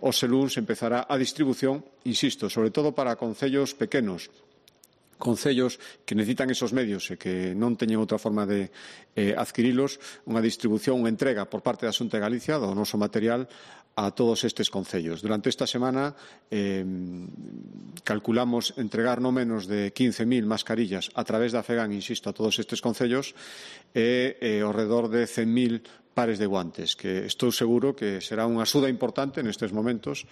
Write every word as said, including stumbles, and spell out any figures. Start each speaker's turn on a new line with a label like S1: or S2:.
S1: Hoxe luns empezará a distribución, insisto, sobre todo para concellos pequenos, concellos que necesitan esos medios e que non teñen outra forma de eh, adquirilos, unha distribución, unha entrega por parte da Xunta de Galicia do noso material a todos estes concellos. Durante esta semana eh, calculamos entregar no menos de quince mil mascarillas a través da FEGAN, insisto, a todos estes concellos e eh, ao redor de cen mil pares de guantes, que estou seguro que será unha axuda importante nestes momentos.